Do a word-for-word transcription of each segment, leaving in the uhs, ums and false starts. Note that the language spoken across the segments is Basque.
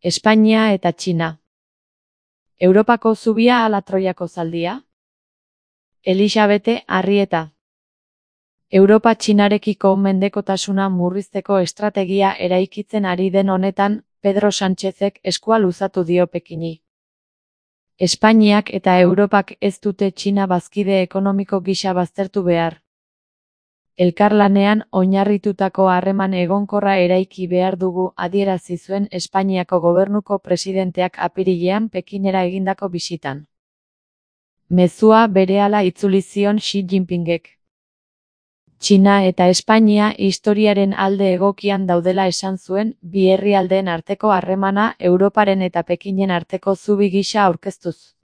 Espainia eta Txina. Europako zubia ala Troiako zaldia? Elisabete Arrieta. Europa Txinarekiko mendekotasuna murrizteko estrategia eraikitzen ari den honetan, Pedro Sánchezek eskua luzatu dio Pekini. Espainiak eta Europak ez dute Txina bazkide ekonomiko gisa baztertu behar. Elkarlanean oinarritutako harreman egonkorra eraiki behar dugu adierazi zuen Espainiako gobernuko presidenteak apirilean Pekinera egindako bisitan. Mezua berehala itzuli zion Xi Jinpingek. Txina eta Espainia historiaren alde egokian daudela esan zuen, bi herrialdeen arteko harremana Europaren eta Pekinen arteko zubi gisa aurkeztuz.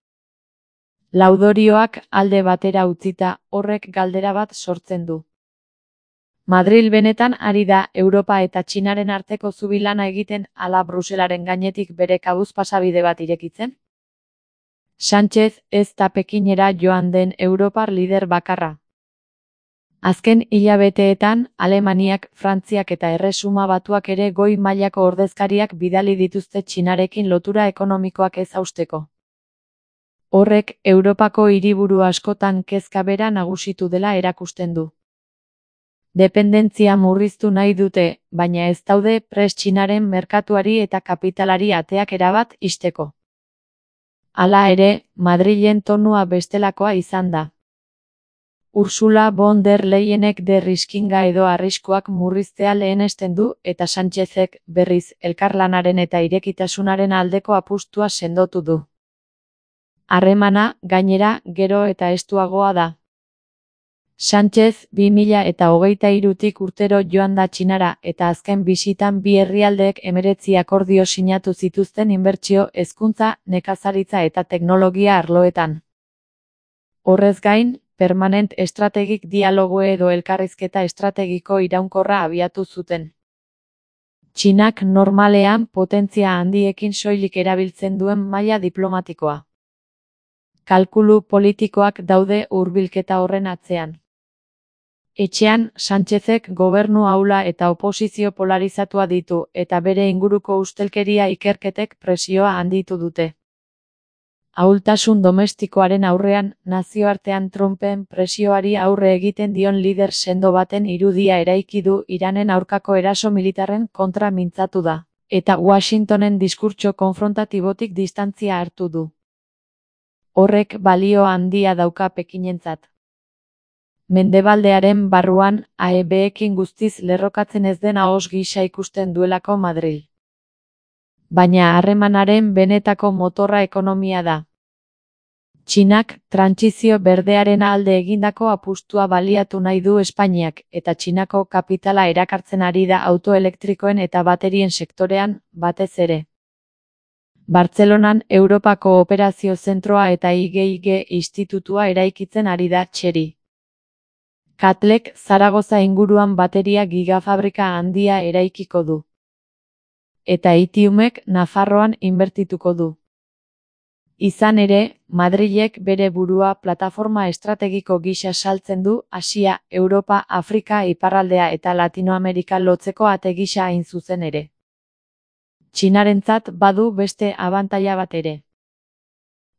Laudorioak alde batera utzita, horrek galdera bat sortzen du. Madril benetan ari da Europa eta Txinaren arteko zubi lana egiten ala Bruselaren gainetik bere kabuz pasabide bat irekitzen? Sánchez ez da Pekinera joan den europar lider bakarra. Azken hilabeteetan, Alemaniak, Frantziak eta Erresuma Batuak ere goi mailako ordezkariak bidali dituzte Txinarekin lotura ekonomikoak ez hausteko. Horrek, Europako hiriburu askotan kezka bera nagusitu dela erakusten du. Dependentzia murriztu nahi dute, baina ez daude prest Txinaren merkatuari eta kapitalari ateak erabat ixteko. Hala ere, Madrilen tonua bestelakoa izan da. Ursula von der Leyenek de riskinga edo arriskuak murriztea lehenesten du eta Sánchezek, berriz, elkarlanaren eta irekitasunaren aldeko apustua sendotu du. Harremana, gainera, gero eta estuagoa da. Sánchez bi mila eta hogeita hirutik urtero joan da Txinara eta azken bisitan bi herrialdeek hemeretzi akordio sinatu zituzten inbertsio, hezkuntza, nekazaritza eta teknologia arloetan. Horrez gain, permanent estrategik dialogo edo elkarrizketa estrategiko iraunkorra abiatu zuten. Txinak normalean potentzia handiekin soilik erabiltzen duen maila diplomatikoa. Kalkulu politikoak daude hurbilketa horren atzean. Etxean, Sánchezek gobernu ahula eta oposizio polarizatua ditu eta bere inguruko ustelkeria ikerketek presioa handitu dute. Ahultasun domestikoaren aurrean, nazioartean Trumpen presioari aurre egiten dion lider sendo baten irudia eraiki du Iranen aurkako eraso militarren kontra mintzatu da, eta Washingtonen diskurtso konfrontatibotik distantzia hartu du. Horrek balio handia dauka Pekinentzat. Mendebaldearen barruan, A E B-ekin guztiz lerrokatzen ez den ahos gisa ikusten duelako Madril. Baina harremanaren benetako motorra ekonomia da. Txinak, trantsizio berdearen alde egindako apustua baliatu nahi du Espainiak, eta Txinako kapitala erakartzen ari da autoelektrikoen eta baterien sektorean, batez ere. Bartzelonan Europako Operazio Zentroa eta I G I G institutua eraikitzen ari da Txeri. Katlek Zaragoza inguruan bateria gigafabrika handia eraikiko du. Eta Itiumek Nafarroan inbertituko du. Izan ere, Madrilek bere burua plataforma estrategiko gisa saltzen du Asia, Europa, Afrika, Iparraldea eta Latinoamerika lotzeko ate gisa hain zuzen ere. Txinarentzat badu beste abantaila bat ere.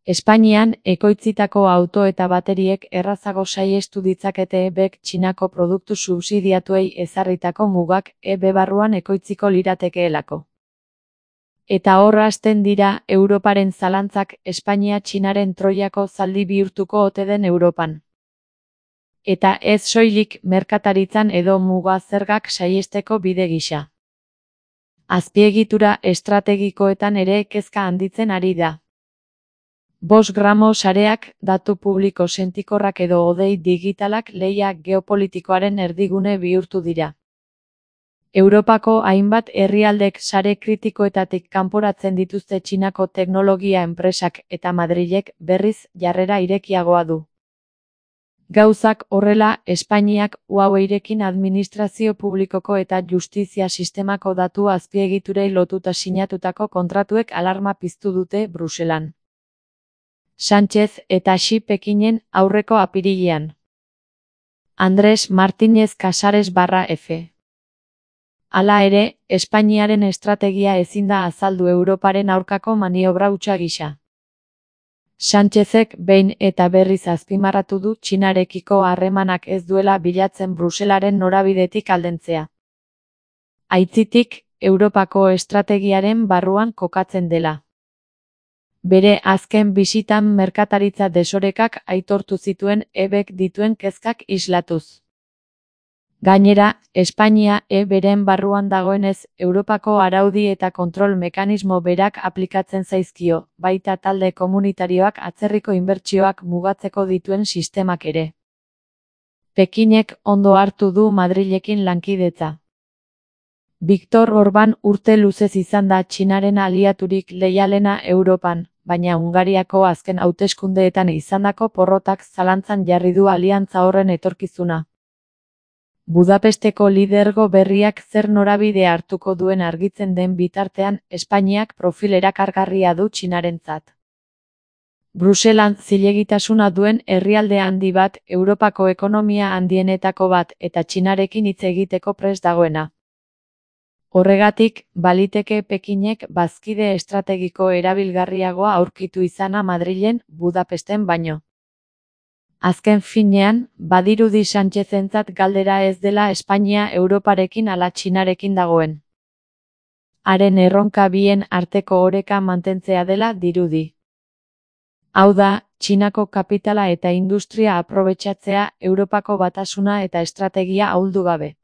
Espainian, ekoitzitako auto eta bateriek errazago saihestu ditzakete E B-ek Txinako produktu subsidiatuei ezarritako mugak E B barruan ekoitziko liratekeelako. Eta hor hasten dira Europaren zalantzak Espainia Txinaren Troiako zaldi bihurtuko ote den Europan. Eta ez soilik merkataritzan edo muga zergak saihesteko bide gisa. Azpiegitura estrategikoetan ere kezka handitzen ari da. Bost gramo sareak, datu publiko sentikorrak edo hodei digitalak lehia geopolitikoaren erdigune bihurtu dira. Europako hainbat herrialdek sare kritikoetatik kanporatzen dituzte Txinako teknologia enpresak eta Madrilek berriz jarrera irekiagoa du. Gauzak horrela, Espainiak Huaweirekin administrazio publikoko eta justizia sistemako datu azpiegiturei lotuta sinatutako kontratuek alarma piztu dute Bruselan. Sánchez eta Xi Pekinen aurreko apirilean. Andrés Martínez Casares barra F. Hala ere, Espainiaren estrategia ezin da azaldu Europaren aurkako maniobra hutsa gisa. Sánchezek behin eta berriz azpimarratu du Txinarekiko harremanak ez duela bilatzen Bruselaren norabidetik aldentzea. Aitzitik, Europako estrategiaren barruan kokatzen dela. Bere azken bisitan merkataritza desorekak aitortu zituen E Bk dituen kezkak islatuz. Gainera, Espainia E beren barruan dagoenez, Europako araudi eta kontrol mekanismo berak aplikatzen zaizkio, baita talde komunitarioak atzerriko inbertsioak mugatzeko dituen sistemak ere. Pekinek ondo hartu du Madrilekin lankidetza. Viktor Orban urte luzez izan da Txinaren aliaturik leialena Europan, baina Hungariako azken hauteskundeetan izandako porrotak zalantzan jarri du aliantza horren etorkizuna. Budapesteko lidergo berriak zer norabide hartuko duen argitzen den bitartean, Espainiak profil erakargarria du Txinarentzat. Bruselan zilegitasuna duen herrialde handi bat, Europako ekonomia handienetako bat eta Txinarekin hitz egiteko prest dagoena. Horregatik, baliteke Pekinek bazkide estrategiko erabilgarriagoa aurkitu izana Madrilen, Budapesten baino. Azken finean, badirudi Sánchezentzat galdera ez dela Espainia Europarekin ala Txinarekin dagoen. Haren erronka bien arteko oreka mantentzea dela dirudi. Hau da, Txinako kapitala eta industria aprobetxatzea Europako batasuna eta estrategia ahuldu gabe.